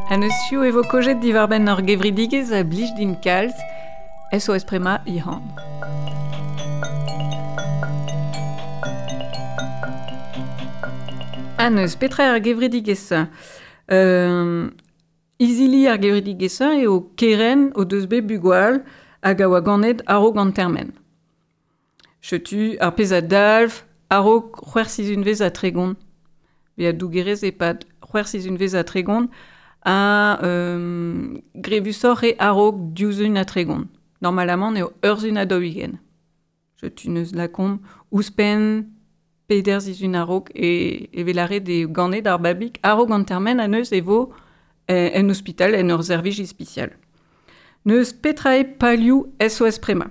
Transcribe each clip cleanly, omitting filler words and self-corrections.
Ha neus piv e vo kojet diwar-benn ur gevredigezh a blij din kalz, SOS Prema Ihan. Ha neus petra eo ar gevredigezh-se? Izili ar gevredigezh-se eo kerent o deus bet bugale hag a oa ganet a-raok an termen. Setu ar pezh a dalv a-raok c'hwec'h sizhunvezh ha 30. Bezañ dougerez e-pad c'hwec'h sizhunvezh ha 30 ha grevusoc'h eo a-raok div sizhun ha 30. Normalamant eo ur sizhun ha 40. Setu neus lakaomp ouzhpenn peder sizhun a-raok e vez lâret eo ganet ar babig a-raok an termen ha neuze e vo en ospital en ur servij ispisial. N'eus petra eo palioù SOS Prema.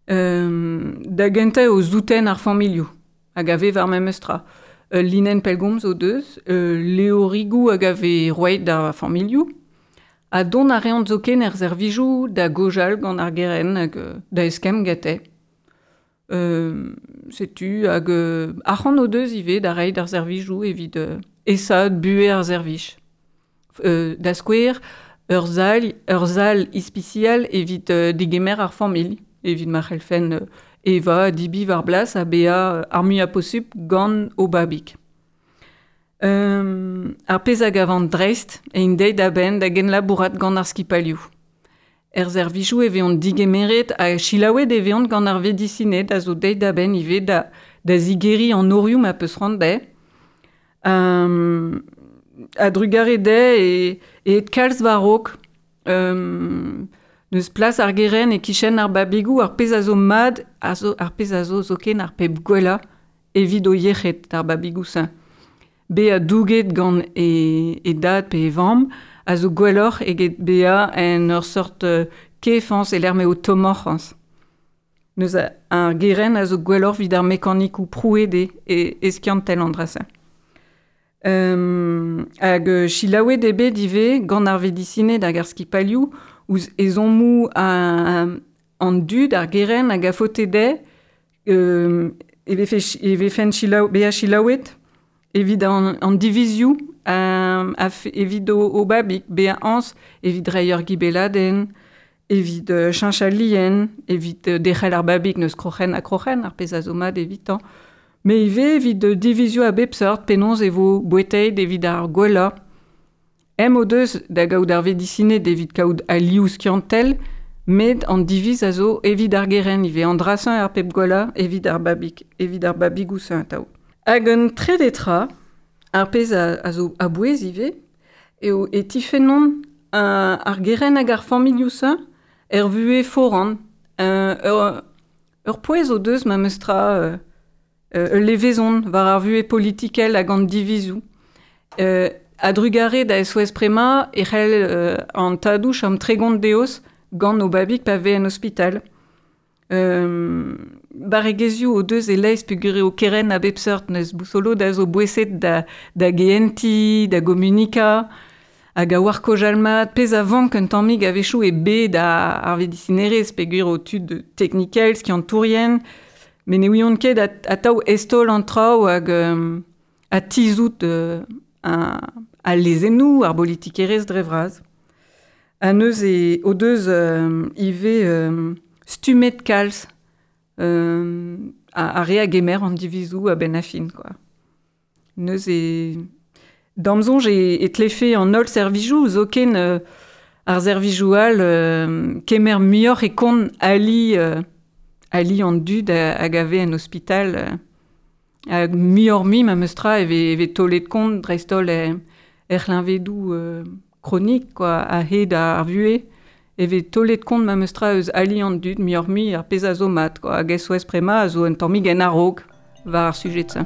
Da gentañ eo souten ar familhoù hag a vez war memes tra. Ul linenn pellgomz o deus, levrigoù hag a vez roet d'ar familhoù. Ha dont a reont zoken er servijoù da gaojal gant ar gerent hag da eskemm gante. Setu hag arc'hant o deus ivez da reiñ d'ar servijoù evit aesaat buhez ar servij. Da skouer, ur sal, ur sal ispisial evit degemer ar familh, evit ma c'hellfent evañ, debriñ war blas ha bezañ ar muiañ posupl gant o babig. Ar pezh a gavan dreist eo deuet a-benn da genlabourat gant ar skipailhoù. Er servijoù e vezont degemeret ha selaouet e vezont gant ar vedisined a zo deuet a-benn ivez da zigeriñ an norioù ma peus c'hoant dezhe. A-drugarez dezhe eo aet kalz war-raok. N'eus plas ar gerent e-kichen ar babigoù, ar pezh a zo mat a zo ar pezh a zo zoken ar pep gwellañ evit o yec'hed, d'ar babigoù-se. Bezañ douget gant e dad pe e vamm a zo gwelloc'h eget bezañ en ur seurt kefañs e-lec'h m'eo tommoc'h c'hoazh. Neuze ar gerent a zo gwelloc'h evit ar mekanikoù prouet eo e skiantel an dra-se. Hag selaouet eo bet ivez gant ar vedisined hag ar skipailhoù ouzh ezhommoù an dud, ar gerent hag a faote dezhe e vefe e vefent selaou bezañ selaouet evit an divizioù evit o babig bezañ añs evit reiñ ur gibelladenn, evit cheñch al lien, evit derc'hel ar babig n'eus kroc'hen ha kroc'hen, ar pezh a zo mat evitañ. Met ivez evit divizioù a bep seurt penaos e vo bouetaet evit ar gwellañ. Em o deus da gaout ar vedisined evit kaout alioù skiantel, met an diviz a zo evit ar gerent ivez, an dra-se ar pep gwellañ evit ar babig, evit ar babigoù-se atav. Hag un trede tra, ar pezh a zo a-bouez ivez, eo e tifennont ar gerent hag ar familhoù-se er vuhez foran. Ur pouez o deus memes tra ul levezon war ar vuhez politikel hag an divizoù. A-drugarez da SOS Prema e c'hell an tadoù chom 30 deoz gant o babig pa vez en ospital. Barregezhioù o deus e-leizh peogwir eo kerent a bep seurt n'eus bousolo da zo boeset da gehentiñ, da gomunikañ hag a oar kaojal mat. Pezh a vank un tammig a-wechoù eo bed ar vedisinerezh peogwir eo tud teknikel, skiantourien, met ne ouiont ket atav eztaol an traoù hag ha tizhout al lezennoù, ar bolitikerezh dre vras. Ha neuze o deus ivez stummet kalz ar re a gemer an divizoù a-benn ar fin kwa. Neuze d'am soñj e tlefe an holl servijoù zoken ar servijoù all kemer muioc'h e kont ali ali an dud hag a vez en ospital hag muioc'h-mui memes tra e vez taolet kont dreist-holl er c'hleñvedoù kronik kwa a-hed ar vuhez e vez taolet kont memes tra eus ali an dud muioc'h-mui ar pezh a zo mat kwa hag SOS Prema a zo un tammig en a-raok war ar sujed-se.